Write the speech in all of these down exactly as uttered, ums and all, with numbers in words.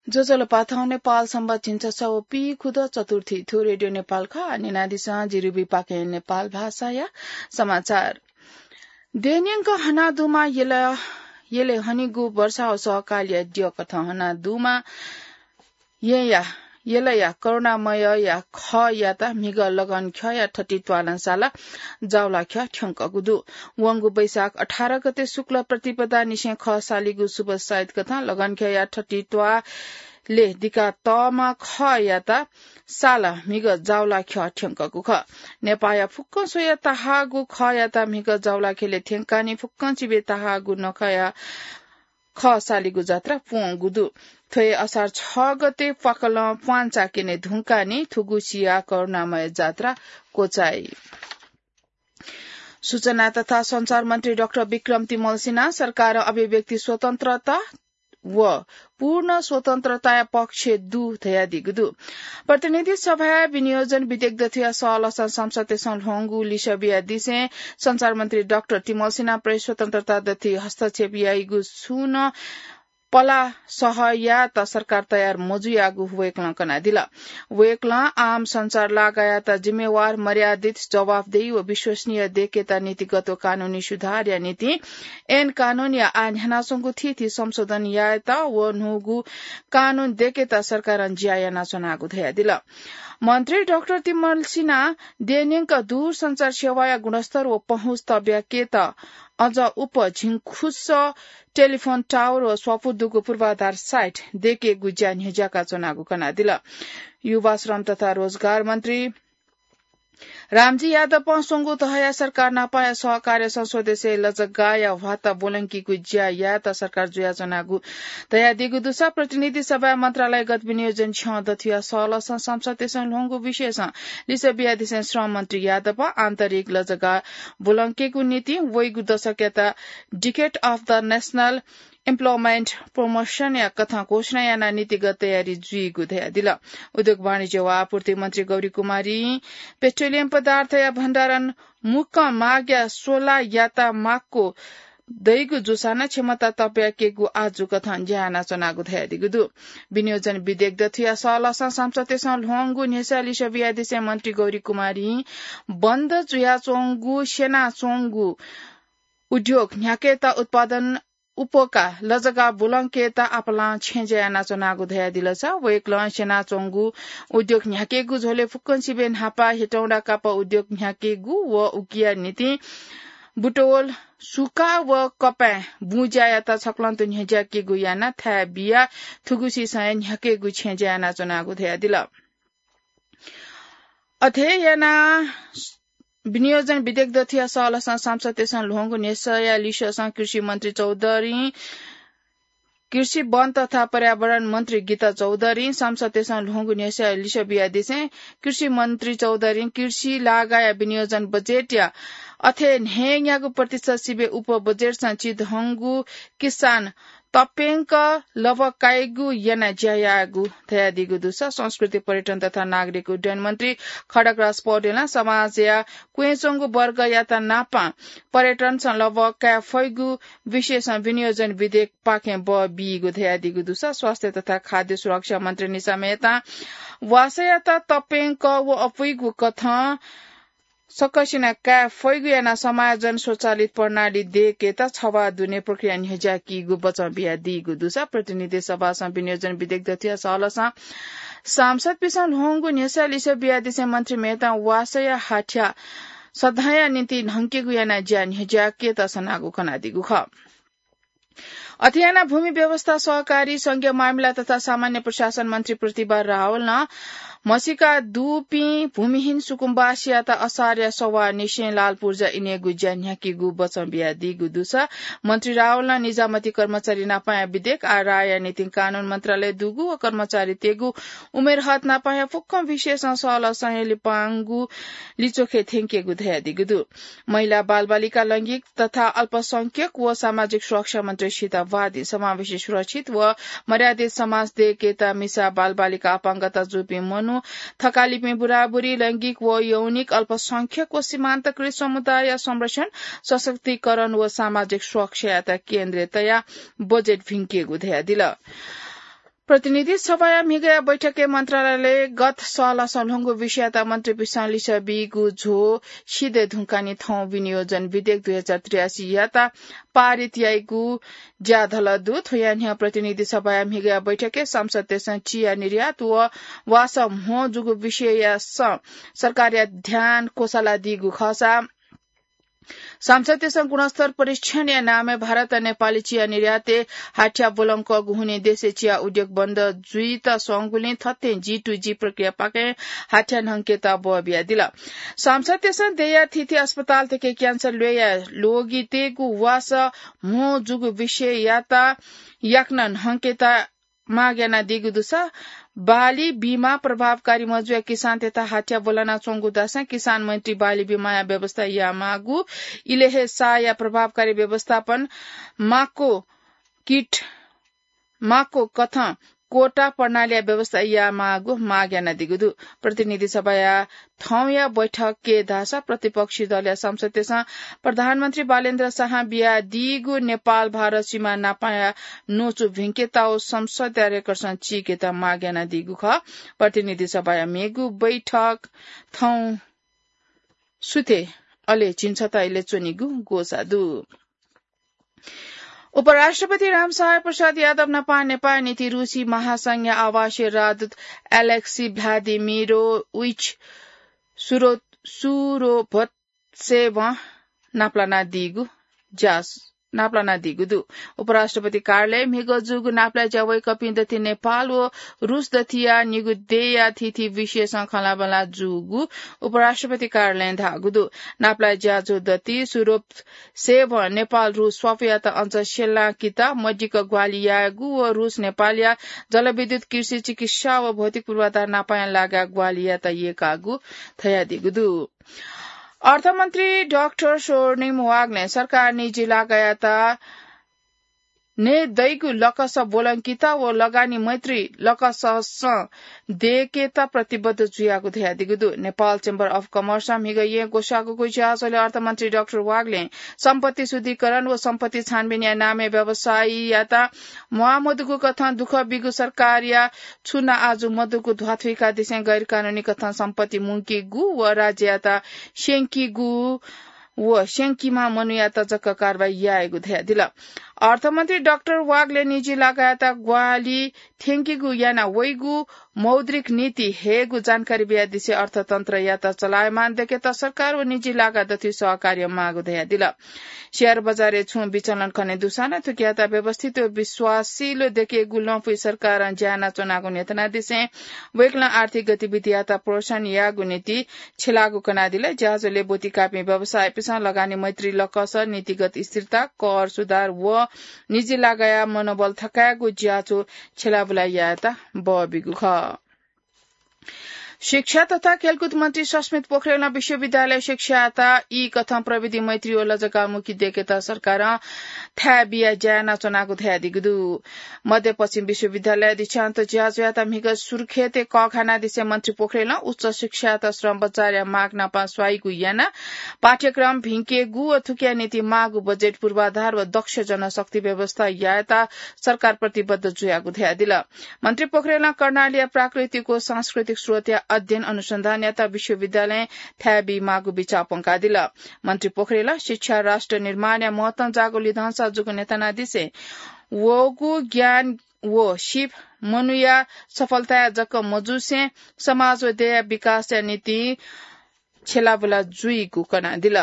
ज्वजलपा, थौं नेपाल संवत् झिंछसः व पीखुदँ चतुर्थी थ्व रेडियो नेपाल खः। न्यनादिसँ जिरुबी पाखें नेपाल भाषाया समाचार। देनिंक हनादुमा यल, यलय् हनीगु वर्षा व सहकालया द्यः कथं हनादुमा यँया, यलया करुणामयया खःयात म्हिगः लगनख्यःया थति त्वालं साला जावलाख्यः थ्यंकःगु दु। वंगु वैशाख अठार गते शुक्ल प्रतिपदा निसें खः सालीगु शुभ साइत कथं लगनख्यःया थति त्वालय् दिका तःम्ह खःयात साला म्हिगः जावलाख्यः थ्यंकःगु खः। नेपाःया फुक्कं स्वया तहाःगु खःयात म्हिगः जावलाख्यलय् थ्यंकानि फुक्कं चिबे तहाःगु नखःया खः सालीगु जात्रा प्वंगु दु। थ्व हे असार छ गते प्वाकलं प्वांचा क्यने धुंकानि थुगु सिया करुणामय जात्रा क्वचाइ। सूचना तथा सञ्चार मन्त्री डाक्टर विक्रम तिमल सिन्हा सरकारं अभिव्यक्ति स्वतन्त्रता व पूर्ण स्वतन्त्रताया पक्ष दु धयादीगु दु। प्रतिनिधि सभाया विनियोजन विधेयक दथुया सहलसं संसदय् ल्ह्वंगु लिसः बियादिसें सञ्चार मन्त्री डाक्टर तिमल सिन्हा प्रेस स्वतन्त्रता दथुइ हस्तक्षेप याइगु छुं नं पलाः सहयात सरकार तयार मजुयागु वय्कलं कनादिल। वय्कलं आम सञ्चार लागायात जिम्मेवार, मर्यादित, जवाफदेही व विश्वसनीय देकेत नीतिगत व कानूनी सुधारया निंतिं ऐन कानूनया आः न्ह्यानाच्वंगु थीथी संशोधन यायेत व न्हूगु कानून देकेत सरकारं ज्या यानाच्वनागु धयादिल। मन्त्री डाक्टर तिमल सिन्हां देनिंक दूरसञ्चार सेवाया गुणस्तर व पहुँच तब्याकेत अझ उप झिंखुस टेलिफोन टावर व स्वापू दुगु पूर्वाधार साइट देकेगु ज्या न्ह्यज्याका च्वनागु कनादिल। युवा, श्रम तथा रोजगार मन्त्री रामजी यादवं स्वंगू तहया सरकार नापया सहकार्यसं स्वदेशय् लजगाःया ह्वाता ब्वलंकीगु ज्या यायेत सरकार जुयाच्वनागु धयादीगु दुसा प्रतिनिधि सभाय् मन्त्रालयगत विनियोजन छ्यं दथुया सहलसं संसदय् ल्ह्वंगु विषयसं लिसः बियादिसें श्रम मन्त्री यादवं आन्तरिक लजगाः ब्वलंकेगु निंतिं वइगु दशकयात Decade of the National Employment Promotion या कथं घोषणा यानाः नीतिगत तयारी जुइगु धयादिल। उद्योग वाणिज्य व आपूर्ति मन्त्री गौरी कुमारीं पेट्रोलियम पदार्थया भण्डारण मुक्कं मागया सोलायात माक्व दइगु जूसां नं क्षमता तब्याकेगु आजु कथं ज्या यानाच्वनागु धयादीगु दु। विनियोजन विधेयक दथुया सहलसं संसदय् ल्ह्वंगु न्ह्यसः लिसः बियादिसें मन्त्री गौरी कुमारीं बन्द जुयाच्वंगु स्यनाच्वंगु उद्योग न्ह्याकेत उत्पादन उपका लजगाः ब्वलंकेत आपालं छेँज्या यानाच्वनागु धयादिल। वय्कलं स्यनाच्वंगु उद्योग न्ह्याकेगु झ्वलय् फुक्कं सिबें न्हापा हेटौंडा कापः उद्योग न्ह्याकेगु व उकिया निंतिं बुटवल, सुका व कपाँय् बुँज्यायात छकलं तुं न्ह्यज्याकेगु यानाः थाय् बियाः थुगु सिसं हे न्ह्याकेगु छेँज्या यानाच्वनागु धयादिल। अथे यानाः विनियोजन विधेयक दथुया सहलसं संसदय् ल्ह्वंगु न्ह्यसःया लिसःसं कृषि मन्त्री चौधरीं, कृषि, वन तथा पर्यावरण मन्त्री गीता चौधरीं संसदय् ल्ह्वंगु न्ह्यसःया लिसः बियादिसें कृषि मन्त्री चौधरीं कृषि लागाया विनियोजन बजेटया अथे न्हय्‌न्यागू प्रतिशत सिबें उप बजेटसं चिधंगु किसान तप्यंक लबकाइगु यानाः ज्या याःगु धयादीगु दुसा संस्कृति, पर्यटन तथा नागरिक उड्डयन मन्त्री खड्गराज पौडेलं समाजया क्वँय् च्वंगु वर्गयात नापं पर्यटनसं लबकाये फइगु विषयसं विनियोजन विधेयकपाखें बः बीगु धयादीगु दुसा स्वास्थ्य तथा खाद्य सुरक्षा मन्त्री निशा मेहतां वासःयात तप्यंक व अपुइगु कथं सकसिनं काये फइगु यानाः समायोजन स्वचालित प्रणाली देकेत छवाः दुने प्रक्रिया न्ह्यज्याकीगु बचं बियादीगु दुसा प्रतिनिधि सभासं विनियोजन विधेयक दथुया सहलसं सांसदपिसं ल्ह्वंगु न्ह्यसः लिसः बियादिसें मन्त्री मेहतां वासःया हाथ्या सदांया निंतिं न्हंकेगु यानाः ज्या न्ह्यज्याकेत सनागु कनादीगु खः। अथे यानाः भूमि व्यवस्था, सहकारी, संघीय मामिला तथा सामान्य प्रशासन मन्त्री प्रतिभा रावलं म्हसीका दुपिं भूमिहीन सुकुम्बासीयात असारया सवाः निसें लाल पूर्जा इनेगु ज्या न्ह्याकीगु बचं बियादीगु दुसा मन्त्री रावलं निजामती कर्मचारी नापंया विधेयक आः राःया निंतिं कानून मन्त्रालय दुगु व कर्मचारीतय्‌गु उमेर हद नापंया फुक्कं विषयसं सहलसं हे लिपांगु लिच्वखे थ्यंकेगु धयादीगु दु। महिला, बालबालिका, लैंगिक तथा अल्पसंख्यक व सामाजिक सुरक्षा मन्त्री सीता वादी समावेशी सुरक्षित व मर्यादित समाज देकेत मिसा, बालबालिका, अपाङ्गता जूपिं मनू, थकालिपिं बुराबुरी, लैंगिक व यौनिक अल्पसंख्यक व सीमान्तकृत समुदायया संरक्षण, सशक्तिकरण व सामाजिक सुरक्षायात केन्द्र तयाः बजेट भिंकेगु धयादिल। प्रतिनिधि सभाया म्हिगया बैठकय् मन्त्रालयले गत सलसं ल्ह्वंगु विषययात मन्त्रीपिसं लिसः बीगु झ्वः सिधये धुंकानि थौं विनियोजन विधेयक दुई हजार त्रियासी यात पारित याइगु ज्याधल दु। थ्वया न्ह्यः प्रतिनिधि सभाया म्हिगया बैठकय् सांसदतय्सं चिया निर्यात व वासः म्हो जूगु विषयया स-, सरकारया ध्यान क्वसालादीगु खःसा सांसदतय्सं गुणस्तर परीक्षणया नामय् भारत नेपाली चिया निर्यातय् हाथ्या ब्वलंकःगु हुनिं देशय् चिया उद्योग बन्द जुइत स्वंगुलिं थथें G to G प्रक्रियापाखें हाथ्या न्हंकेत बः बियादिल। सांसदतय्सं देय्या थीथी अस्पतालतय्के क्यान्सर ल्वय्या ल्वगितय्गु वासः म्हो जूगु विषययात याकनं न्हंकेत माग यानादीगु दुसा बाली बीमा प्रभावकारी मजुया किसानतय्त हाथ्या ब्वलानाच्वंगु धाःसां किसान मैत्री बाली बीमाया व्यवस्था यायेमाःगु, इलय् हे साया प्रभावकारी व्यवस्थापन माको किट माको कथं कोटा प्रणालीया व्यवस्था यायेमाःगु माग यानादीगु दु। प्रतिनिधि सभाया थौंया बैठकय् धाःसा प्रतिपक्षी दलया सांसदतय्सं प्रधानमन्त्री बालेन्द्र शाहं बियादीगु नेपाल भारत सीमा नापाया न्वचु भिंकेत व संसदया रेकर्डसं चीकेत माग यानादीगु खः। प्रतिनिधि सभाया मेगु बैठक थौं सुथे अले झिंछता इलय् च्वनीगु ग्वसाः दु। उपराष्ट्रपति रामसहाय प्रसाद यादव नापं नेपाःया निंतिं रूसी महासंघया आवासीय राजदूत एलेक्सी भ्लादिमिरोभिच सुरो-, सुरोभत्सेवं नापलानादीगु ज्या-, नापलानादीगु दु। उपराष्ट्रपति कार्यालयं म्हिगः जूगु नापलाये ज्या वय्कःपिं दथुइ नेपाल व रूस दथुया निगू देय्या थीथी विषयसं खँल्हाबल्हा जूगु उपराष्ट्रपति कार्यालयं धाःगु दु। नापलाये ज्याझ्वः दथुइ सुरोभ सेवं नेपाल रूस स्वापूयात अझ स्यलांकित मदिक्क ग्वाहालि यायेगु व रूस नेपालया जलविद्युत, कृषि, चिकित्सा व भौतिक पूर्वाधार नापाया लागाय् ग्वाहालि यायेत यय्कागु धयादीगु दु। अर्थमन्त्री डाक्टर स्वर्णिम वाग्लें सरकार निजी लागायात नयेदइगु लकस ब्वलंकित व लगानी मैत्री लकससं दयेकेत प्रतिबद्ध जुयागु धयादीगु दु। नेपाल Chamber of Commerce-ं म्हिगः येँ ग्वसाःगु ज्याझ्वलय् अर्थमन्त्री डाक्टर वाग्लें सम्पत्ति शुद्धिकरण व सम्पत्ति छानबिनया नामय् व्यवसायीयात म्वाःमदुगु कथं दुःख बीगु सरकारया छु न आजु मदुगु ध्वाथुइकादिसें गैरकानूनी कथं सम्पत्ति मुंकीगु व राज्ययात स्यंकीगु व स्यंकीम्ह मनूयात जक कारवाही यायेगु धयादिल। अर्थमन्त्री डाक्टर वाग्लें निजी लागायात ग्वाहालि थ्यंकीगु याना वइगु मौद्रिक नीति हयेगु जानकारी बियादिसें अर्थतन्त्रयात चलायमान दयेकेत सरकार व निजी लागा दथुइ सहकार्य माःगु धयादिल। सेयर बजारय् छुं विचलन खने दुसां नं थुकियात व्यवस्थित व विश्वासिलो दयेकेगु लँपुइ सरकारं ज्या यानाच्वनागु न्ह्यथनादिसें वय्कलं आर्थिक गतिविधियात प्रोत्साहन यायेगु निंतिं छ्यलाःगु कनादिल। ज्याझ्वलय् ब्वति काःपिं व्यवसायीपिसं लगानी मैत्री लकस, नीतिगत स्थिरता, कर सुधार व निजी लागाया मनोबल थकायेगु ज्याझ्वः छ्यलाबुला यायेत बः बीगु खः। शिक्षा तथा खेलकुद मन्त्री सस्मित पोखरेलं विश्वविद्यालय शिक्षायात ई कथं प्रविधि मैत्री व लजगाःमुखी दयेकेत सरकारं थाय् बियाः ज्या यानाच्वनागु धयादीगु दु। मध्यपश्चिम विश्वविद्यालय दीक्षान्त ज्याझ्वःयात म्हिगः सुर्खेतय् कःघानादिसें मन्त्री पोखरेलं उच्च शिक्षायात श्रम बजारया माग नापं स्वाइगु यानाः पाठ्यक्रम भिंकेगु व थुकिया निंतिं माःगु बजेट पूर्वाधार व दक्ष जनशक्ति व्यवस्था यायेत सरकार प्रतिबद्ध जुयागु धयादिल। मन्त्री पोखरेलं कर्णालीया प्राकृतिक व सांस्कृतिक स्रोतया अध्ययन अनुसन्धानयात विश्वविद्यालयं थाय् बीमाःगु बिचाः प्वंकादिल। मन्त्री पोखरेलं शिक्षा राष्ट्र निर्माणया महत्वं जाःगु लिधंसा जूगु न्ह्यथनादिसें वःगु ज्ञान व सिप मनूया सफलताया जक मजुसें समाज व देय्या विकासया निंतिं छ्यलाबुला जुइगु कनादिल।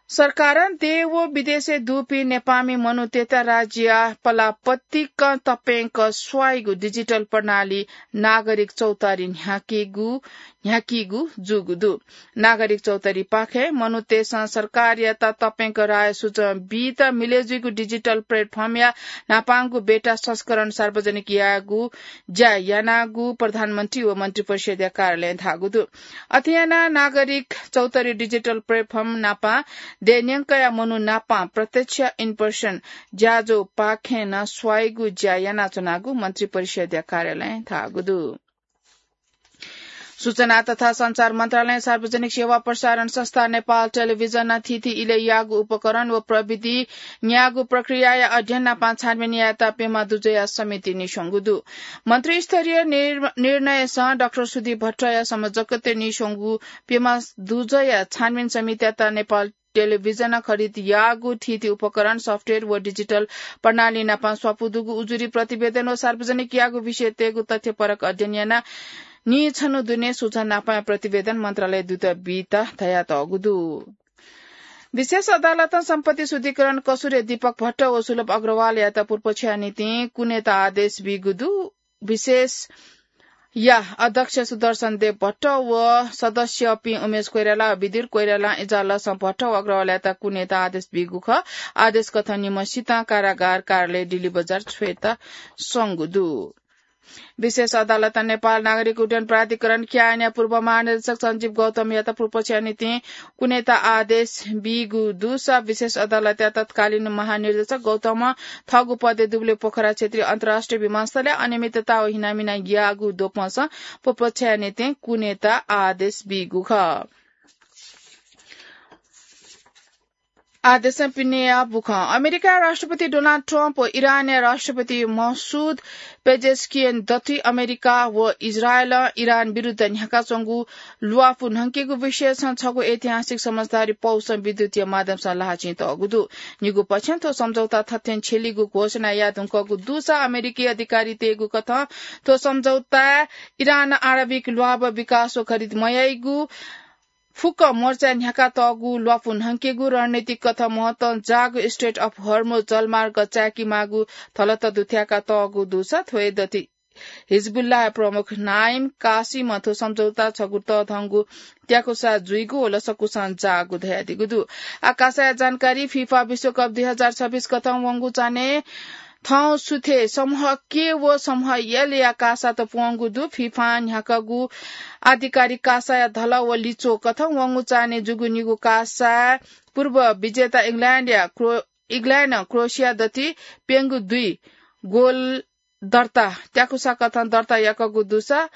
सरकारं देय् व विदेशय् दुपिं नेपाःमि मनूतय्त राज्यया पलाः पतिकं तप्यंक स्वाइगु डिजिटल प्रणाली नागरिक चौतारी न्ह्याकीगु, न्ह्याकीगु जूगु दु। नागरिक चौतारीपाखें मनूतय्सं सरकारयात तप्यंक राय सुचं बीत मिलय् जुइगु डिजिटल प्लेटफर्मया न्हापांगु बेटा संस्करण सार्वजनिक यायेगु ज्या यानागु प्रधानमन्त्री व मन्त्रिपरिषद्या कार्यालयं धाःगु दु। अथे यानाः नागरिक चौतारी डिजिटल प्लेटफर्म नापं देय् न्यंकया मनू नापं प्रत्यक्ष, in person, ज्याझ्वःपाखें नं स्वाइगु ज्या यानाच्वनागु मन्त्रिपरिषद्या कार्यालयं धाःगु दु। सूचना तथा सञ्चार मन्त्रालयं सार्वजनिक सेवा प्रसारण संस्था नेपाल टेलिभिजनं थीथी इलय् याःगु उपकरण व प्रविधि न्याःगु प्रक्रियाया अध्ययन नापं छानबिन यायेत प्यम्ह दुजःया समिति नीस्वंगु दु। मन्त्रीस्तरीय निर्-, निर्णयसं डाक्टर सुदीप भट्टया संयोजकत्वय् नीस्वंगु प्यम्ह दुजःया छानबिन समितियात नेपाल टेलिभिजनं खरिद याःगु थीथी उपकरण, सफ्टवेयर व डिजिटल प्रणाली नापं स्वापू दुगु उजुरी प्रतिवेदन व सार्वजनिक याःगु विषयतय्गु तथ्यपरक अध्ययन यानाः नीछन्हु दुने सूचना नापं प्रतिवेदन मन्त्रालय दूत बीत धयातःगु दु। विशेष अदालतं सम्पत्ति शुद्धिकरण कसुरय् दीपक भट्ट व सुलभ अग्रवालयात पुर्पक्षया निंतिं कुनेत आदेश बीगु दु। विशेषया अध्यक्ष सुदर्शन देव भट्ट व सदस्यपिं उमेश कोइराला व विदुर कोइरालां इजालसं भट्ट व अग्रवालयात कुनेत आदेश बीगु खः। आदेश कथं निम्हसितं कारागार कार्यालय डिल्ली बजार छ्वयेत स्वंगु दु। विशेष अदालतं नेपाल नागरिक उड्डयन प्राधिकरण, क्यानया पूर्व महानिर्देशक सञ्जीव गौतमयात पुर्पक्षया निंतिं कुनेत आदेश बीगु दुसा विशेष अदालतया तत्कालीन महानिर्देशक गौतमं थःगु पदय् दुबले पोखरा क्षेत्रीय अन्तर्राष्ट्रिय विमानस्थलय् अनियमितता व हिनामिना याःगु द्वपंसं पुर्पक्षया निंतिं कुनेत आदेश बीगु खः। आदेशं पिनेया बुखं। अमेरिकाया राष्ट्रपति डोनाल्ड ट्रम्प व इरानया राष्ट्रपति मसुद पेजेस्कियन दथुइ अमेरिका व इजरायलं इरान विरुद्ध न्ह्याकाच्वंगु ल्वापु न्हंकेगु विषयसं छगू ऐतिहासिक समझदारी पौसं विद्युतीय माध्यमसं ल्हाःचिं तःगु दु। निगू पक्षं थ्व सम्झौता थथें छ्यलीगु घोषणा यायेधुंकूगु दुसा अमेरिकी अधिकारीतय्गु कथं थ्व सम्झौताय् इरानं आणविक ल्वाभः विकास व खरिद मयाइगु फुक्क मोर्चाय् न्ह्याकातःगु ल्वापु न्हंकेगु रणनीतिक कथं महत्वं जाःगु स्ट्रेट अफ हर्मुज जलमार्ग चाय्केमाःगु धलत दुथ्याकातःगु दुसा थ्व हे दथुइ हिजबुल्लाह प्रमुख नाइम कासिमं थ्व सम्झौता छगू तःधंगु त्याकुसा जुइगु व लसकुसं जाःगु धयादीगु दु। आकाशया जानकारी। फिफा विश्वकप दुई हजार छब्बीस कथं वंगु चान्हय् थौं सुथय् समूह के व समूह एलया कासात प्वंगु दु। फिफां न्ह्याकागु आधिकारिक कासाया धला व लिच्वः कथं वंगु चान्हय् जूगु निगू कासाय् पूर्व विजेता इङ्ल्याण्डया क्रो-, इङ्ल्याण्डं क्रोएसिया दथुइ प्यंगू दुई गोल दर्ता, त्याकुसा कथं दर्ता याकागु दुसा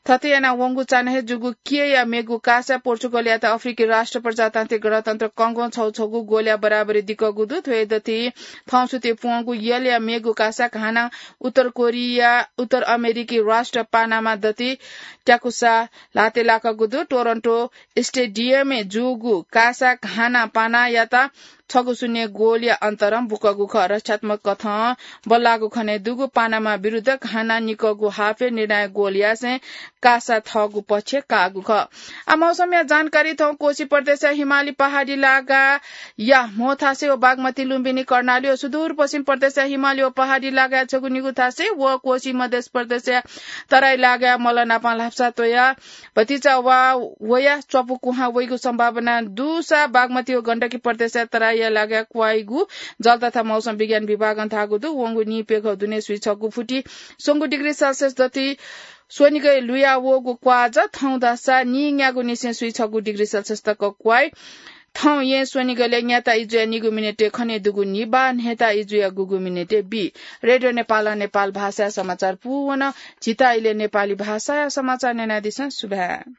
थथे यानाः वंगु चान्हय् जूगु केया मेगु कासाय् पोर्चुगलयात अफ्रिकी राष्ट्र प्रजातान्त्रिक गणतन्त्र कङ्गों छगू छगू गोलया बराबरी दिकागु दु। थ्व हे दथुइ थौं सुथय् प्वंगु एलया मेगु कासाय् हानं उत्तर कोरिया, उत्तर अमेरिकी राष्ट्र पानामा दथुइ त्याकुसा ल्हातय् लाकागु दु। टोरन्टो स्टेडियमय् जूगु कासाय् हानं पानायात छगू शून्य गोलया अन्तरं बुकागु खः। रक्षात्मक कथं बल्लाःगु खनेदुगु पानामा विरुद्ध घाना निकाःगु हाफय् निर्णायक गोल यासें कासा थःगु पक्षय् काःगु खः। आ, मौसमया जानकारी। थौं कोशी प्रदेशया हिमाली पहाडी लागाया म्होथासे व बागमती लुम्बिनी कर्णाली व सुदूरपश्चिम प्रदेशया हिमाली व पहाडी लागाया छगू निगू थासे व कोशी मध्य प्रदेशया तराई लागाया मल्ल नापं ल्हापसा त्वया भतिचा वा वया च्वापु कुहां वइगु सम्भावना दुसा बागमती व गण्डकी प्रदेशया तराईया लागाय् क्वाइगु जल तथा मौसम विज्ञान विभागं धाःगु दु। वंगु नीप्यघौ दुने स्वीछगू फुति स्वंगू डिग्री सेल्सियस दथुइ स्वनिगय् लुया वःगु क्वाज थौं धाःसा नीन्यागू निसें स्वीछगू डिग्री सेल्सियस तक क्वाइ। थौं यें स्वनिगलय् न्याता इजुया निगू मिनेटय् खनेदुगु निबा, न्हय्ता इजुया गुगू मिनेटय् बी। रेडियो नेपालं नेपाल भाषाया समाचार पूवन। झीत इलय् नेपाली भाषाया समाचार न्यनादिसँ। सुभाय्।